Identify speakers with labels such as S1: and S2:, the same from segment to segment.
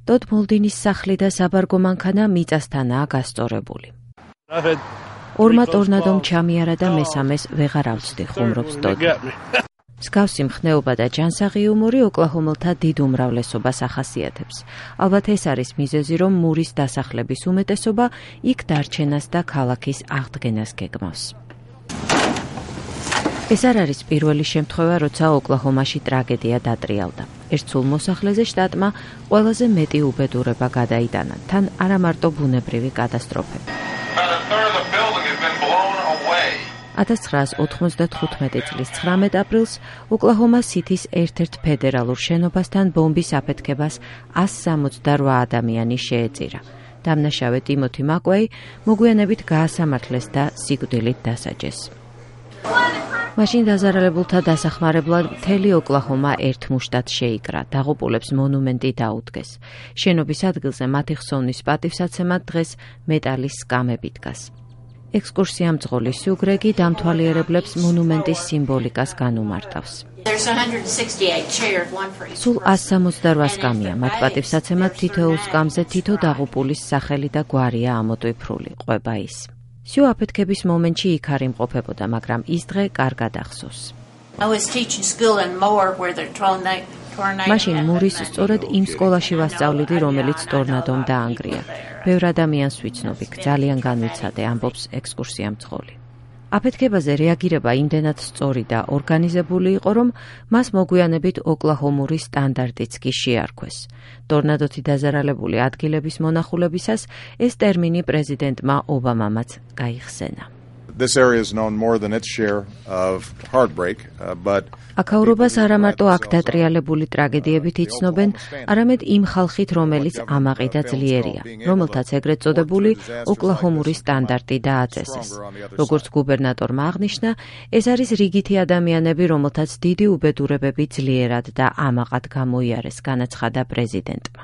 S1: ტოდ მოლდინის სახლი და საბარგო მანქანა მიწასთანაა გასწორებული. ორმა ტორნადომ ჩამიარა და მესამეს ვეღარ ავწდი, ხუმრობს ტოდი. მსგავსი მხნეობა და ჯანსაღი იუმორი ოკლაჰომელთა დიდ უმრავლესობას ახასიათებს. ალბათ ეს არის მიზეზი, რომ მურის დასახლების უმეტესობა იქ დარჩენას და ქალაქის აღდგენას გეგმავს. ეს არ არის პირველი შემთხვევა, როცა ოკლაჰომაში ტრაგედია დატრიალდა. ერთ სულ მოსახლეზე შტატმა ყველაზე მეტი უბედურება გადაიტანა, თან არა მარტო ბუნებრივი კატასტროფები. 1995 წლის 19 აპრილს ოკლაჰომა სითის ერთ-ერთ ფედერალურ შენობასთან ბომბის აფეთქებას 168 ადამიანი შეეწირა. დამნაშავე ტიმოთი მაკვეი მოგვიანებით გაასამართლეს და სიკვდილით დასაჯეს. მაშინ დაზარალებულთა დასახმარებლად მთელი ოკლაჰომა ერთ მუშტად შეიკრა, დაღუპულებს მონუმენტი დაუდგეს. შენობის ადგილზე მათი ხსოვნის პატივსაცემად დღეს მეტალის სკამები დგას. ექსკურსია მძღოლი სიუგრეგი დამთვალიერებლებს მონუმენტის სიმბოლიკას განუმარტავს. სულ 168 სკამია, მათ პატივსაცემად თითოეულ სკამზე თითო დაღუპულის სახელი და გვარია ამოტვიფრული, ყვება ის. სიუ აფეთქების მომენტში იქ არ იმყოფებოდა, მაგრამ ის დღე კარგად ახსოვს. მაშინ მურის სწორედ იმ სკოლაში ვასწავლიდი, რომელიც ტორნადომ დაანგრია. ბევრ ადამიანს ვიცნობ, ძალიან განვიცადე, ამბობს ექსკურსია მძღოლი. აფეთქებაზე რეაგირება იმდენად სწორი და ორგანიზებული იყო, რომ მას მოგვიანებით ოკლაჰომური სტანდარტიც კი შეარქვეს. ტორნადოთი დაზარალებული ადგილების მონახულებისას ეს ტერმინი პრეზიდენტმა ობამამაც გაიხსენა.
S2: This area is known more than its share of heartbreak, but
S1: აქაურობას არა მარტო აქ დატრიალებული ტრაგედიებით იცნობენ, არამედ იმ ხალხით, რომელიც ამაყი და ძლიერია, რომელთაც ეგრეთ წოდებული ოკლაჰომური სტანდარტი დააწესეს. როგორც გუბერნატორმა აღნიშნა, ეს არის რიგითი ადამიანები, რომელთაც დიდი უბედურებები ძლიერად და ამაყად გამოიარეს, განაცხადა პრეზიდენტმა.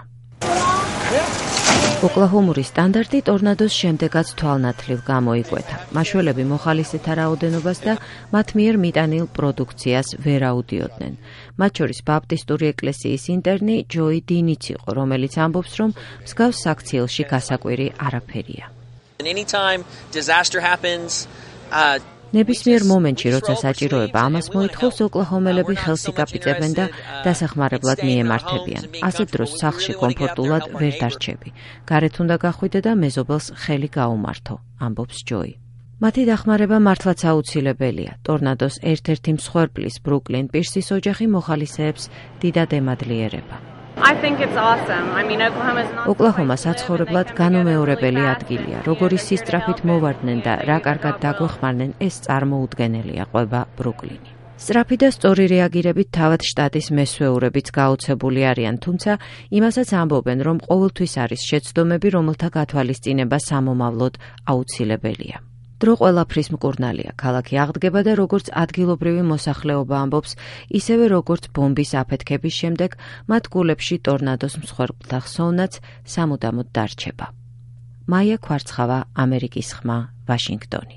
S1: ოკლაჰომური სტანდარტი ტორნადოს შემდეგაც თვალნათლივ გამოიკვეთა. მაშველები მოხალისეთა რაოდენობას და მათ მიერ მიტანილ პროდუქციას ვერ აუდიოდნენ. მათ შორის ბაპტისტური ეკლესიის ინტერნი ჯოი დინიც იყო, რომელიც ამბობს, რომ მსგავს საქციელში გასაკვირი არაფერია. ნებისმიერ მომენტში, როცა საჭიროება ამას მოითხოვს, ოკლაჰომელები ხელს იკაპიწებენ და დასახმარებლად მიემართებიან. ასეთ დროს სახლში კომფორტულად ვერ დარჩები. გარეთ უნდა გახვიდე და მეზობელს ხელი გაუმართო, ამბობს ჯოი. მათი დახმარება მართლაც აუცილებელია. ტორნადოს ერთ-ერთი მსხვერპლის ბრუკლინ პირსის ოჯახი მოხალისეებს დიდად ემადლიერება. ოკლაჰომა საცხოვრებლად განუმეორებელი ადგილია. როგორი სისწრაფით მოვარდნენ და რა კარგად დაგვეხმარნენ, ეს წარმოუდგენელია, ყვება ბრუკლინი. სწრაფი და სწორი რეაგირებით თავად შტატის მესვეურებიც გაოცებული არიან, თუმცა იმასაც ამბობენ, რომ ყოველთვის არის შეცდომები, რომელთა გათვალისწინება სამომავლოდ აუცილებელია. დრო ყველაფრის მკურნალია. ქალაქი აღდგება და როგორც ადგილობრივი მოსახლეობა ამბობს, ისევე როგორც ბომბის აფეთქების შემდეგ, მათ გულებში ტორნადოს მსხვერპლთა ხსოვნაც სამუდამოდ დარჩება. მაია ქვარცხავა, ამერიკის ხმა, ვაშინგტონი.